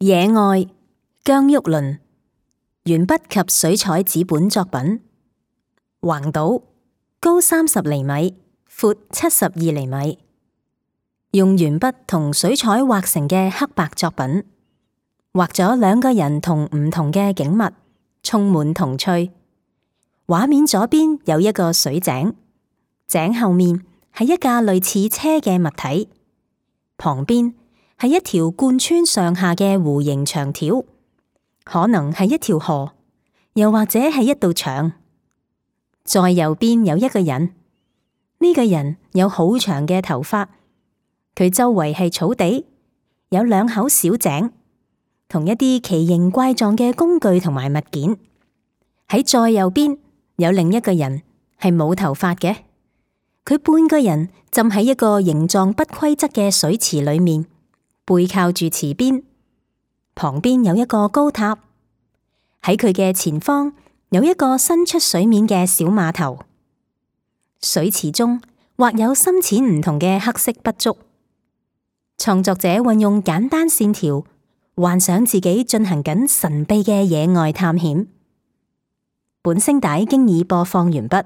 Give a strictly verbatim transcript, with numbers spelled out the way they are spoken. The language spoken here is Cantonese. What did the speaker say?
野外，姜郁麟，鉛筆及水彩紙本作品。橫島，高三十厘米，闊七十二厘米，用鉛筆同水彩畫成嘅黑白作品，畫咗兩個人同唔同嘅景物，充滿童趣。畫面左邊有一個水井，井後面係一架類似車嘅物體，旁邊係一條貫穿上下嘅弧形長條，可能係一條河，又或者係一道牆。再右邊有一個人，呢個人有好長嘅頭髮，佢周圍係草地，有兩口小井，同一啲奇形怪狀嘅工具同埋物件。喺再右邊有另一個人，係冇頭髮嘅，佢半個人浸喺一個形狀不規則嘅水池裏面，背靠住池邊，旁邊有一個高塔，喺佢嘅前方有一個伸出水面嘅小碼頭。水池中畫有深淺唔同嘅黑色筆觸，創作者運用簡單線條，幻想自己進行緊神秘嘅野外探險。本聲帶經已播放完畢。